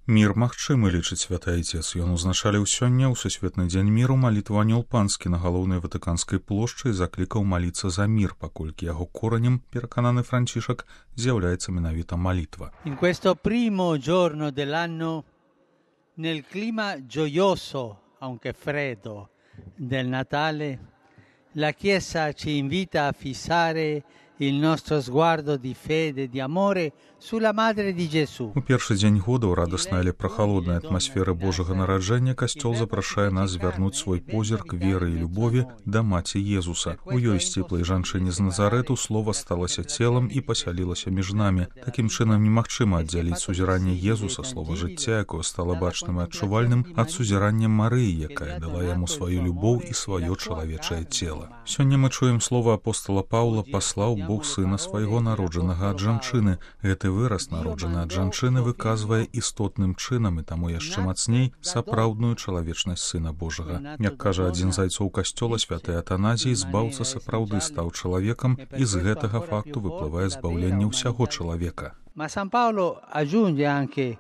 Мір магчымы, лічыць святы айцец. Ён узначаліў сёння ў Сусветны дзень міру малітву Анёл Панскі на галоўнай Ватыканскай плошчы і заклікаў маліцца за мір, паколькі яго коранем, перакананы Францішак, з'яўляецца менавіта малітва. In questo primo giorno dell'anno, nel clima gioioso, aunque freddo, del Natale, la Chiesa ci invita a fissare il nostro sguardo di fede e di amore sulla Madre di Gesù. У першы дзень года ў радаснай, але прахалоднай атмасферы Божага нараджэння касцёл запрашае нас звярнуць свой позірк веры і любові да маці Езуса. У ёй сціплай жанчыне з Назарэту слова сталася целам і пасялілася між намі. Такім чынам немагчыма аддзяліць сузіранне Езуса, слова жыцця, якое стала бачным і адчувальным, ад сузірання Марыі, якая дала яму сваю любоў і сваё чалавечае цела. Сёння мы чуем слова апостола Паўла: «Паслаў Бог сына свайго, народжанага ад жанчыны». Гэты выраз, народжаны ад жанчыны, выказвае істотным чынам і таму яшчэ мацней сапраўдную чалавечнасць Сына Божага. Як кажа адзін з айцоў касцёла, святы Атаназій, збаўца сапраўды стаў чалавекам, і з гэтага факту выплывае збаўленне ўсяго чалавека. Ma San Paolo aggiunge anche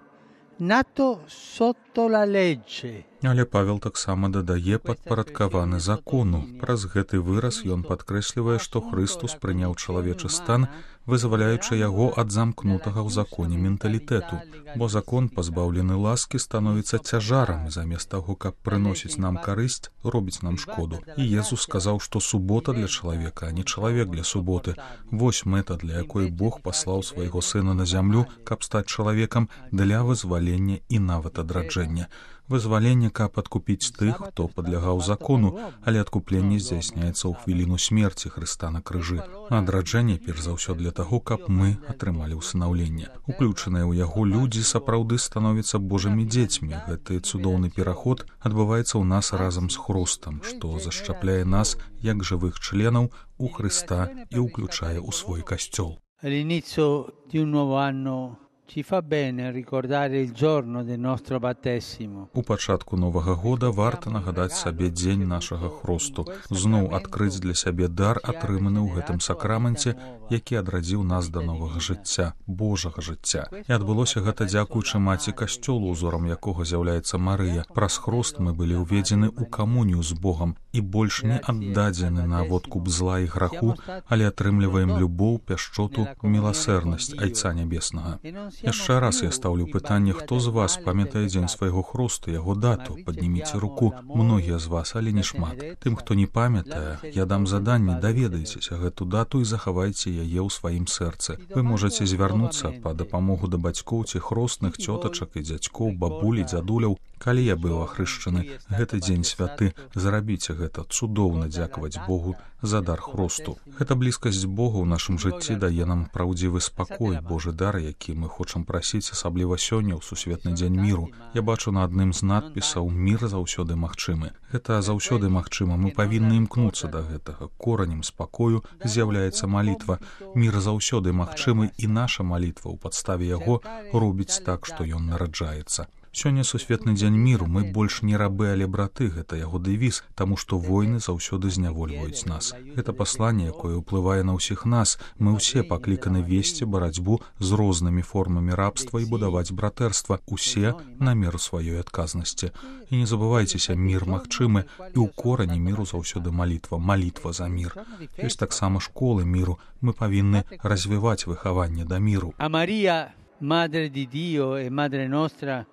nato sotto la legge. Але Павел таксама дадае падпарадкаваны закону. Праз гэты выраз ён падкрэслівае, што Хрыстус прыняў чалавечы стан, вызваляючы яго ад замкнутага ў законе менталітэту. Бо закон, пазбаўлены ласкі, становіцца цяжарам, і замест таго, каб прыносіць нам карысць, робіць нам шкоду. І Езус сказаў, што субота для чалавека, а не чалавек для суботы. Вось мэта, для якой Бог паслаў свайго сына на зямлю, каб стаць чалавекам для вызвалення і нават адраджэння. Вызваленне, каб адкупіць тых, хто падлягаў закону, але адкупленне здзяйсняецца ў хвіліну смерці Хрыста на крыжы. Адраджэнне, перш за ўсё, для таго, каб мы атрымалі ўсынаўленне. Уключаныя ў яго людзі сапраўды становяцца Божымі дзецьмі. Гэты цудоўны пераход адбываецца ў нас разам з Хрустам, што зашчапляе нас як жывых членаў у Хрыста і ўключае ў свой касцёл. All'inizio di un nuovo anno ci fa bene ricordare il giorno del nostro battesimo. У пачатку новага года варта нагадаць сабе дзень нашага хросту, зноў адкрыць для сябе дар, атрыманы ў гэтым сакраменце, які адрадзіў нас да новага жыцця, Божага жыцця. І адбылося гэта дзякуючы маці касцёлу, узорам якога з'яўляецца Марыя. Праз хрост мы былі ўведзены ў камунію з Богам і больш не аддадзены на водкуп зла і граху, але атрымліваем любоў, пяшчоту, міласэрнасць Айца Нябеснага. Яшчэ раз я стаўлю пытанне, хто з вас памятае дзень свайго хросту, яго дату? Падніміце руку. Многія з вас, але не шмат. Тым, хто не памятае, я дам заданне: даведайцеся гэту дату і захавайце яе ў сваім сэрцы. Вы можаце звярнуцца па дапамогу да бацькоў ці хростных, цётачак і дзядзькоў, бабуль і дзядуляў. Калі я быў ахрышчаны, гэты дзень святы, зрабіце гэта. Цудоўна дзякаваць Богу за дар хросту. Гэта блізкасць Бога ў нашым жыцці дае нам праўдзівы спакой, Божы дар, які мы хочам прасіць, асабліва сёння ў Сусветны дзень міру. Я бачу на адным з надпісаў: «Мір заўсёды магчымы». Гэта заўсёды магчыма, мы павінны імкнуцца да гэтага. Коранем спакою з'яўляецца малітва. Мір заўсёды магчымы, і наша малітва ў падставе яго робіць так, што ён нараджаецца. Сёння Сусветны дзень міру, мы больш не рабы, але браты, гэта яго дэвіз, таму што войны заўсёды знявольваюць нас. Гэта пасланне, якое ўплывае на ўсіх нас. Мы ўсе пакліканы весці барацьбу з рознымі формамі рабства і будаваць братэрства, усе на меру сваёй адказнасці. І не забывайцеся, мір магчымы, і ў корані міру заўсёды малітва, малітва за мір. Ёсць таксама школы міру, мы павінны развіваць выхаванне да міру. A Maria, Madre di Dio e Madre nostra,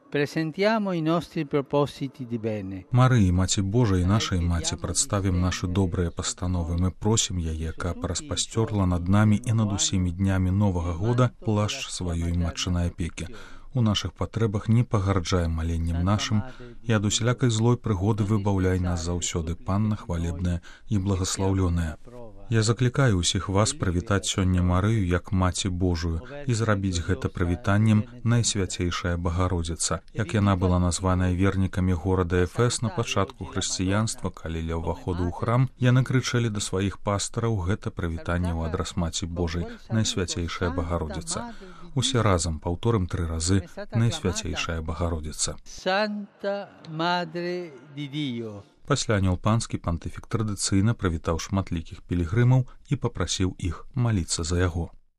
presentiamo i nostri propositi di bene. Марыі, Маці Божай і нашай маці, прадставім нашы добрыя пастановы. Мы просім яе, каб распасцёрла над намі і над усімі днямі новага года плашч сваёй матчынай апекі. У нашых патрэбах не пагарджай маленнем нашым, і ад усялякай злой прыгоды выбаўляй нас заўсёды, Панна хвалебная і благаслаўлёная. Я заклікаю ўсіх вас прывітаць сёння Марыю як Маці Божую і зрабіць гэта прывітаннем Найсвяцейшая Багародзіца. Як яна была названая вернікамі горада Эфес на пачатку хрысціянства, калі ля ўваходу ў храм яны крычалі да сваіх пастараў гэта прывітанне ў адрас Маці Божай, Найсвяцейшая Багародзіца. Усе разам паўторым 3 разы: Найсвяцейшая Багародзіца. Santa Madre di Dio. Пасля Анёл Панскі пантыфік традыцыйна прывітаў шматлікіх пілігрымаў і папрасіў іх маліцца за яго.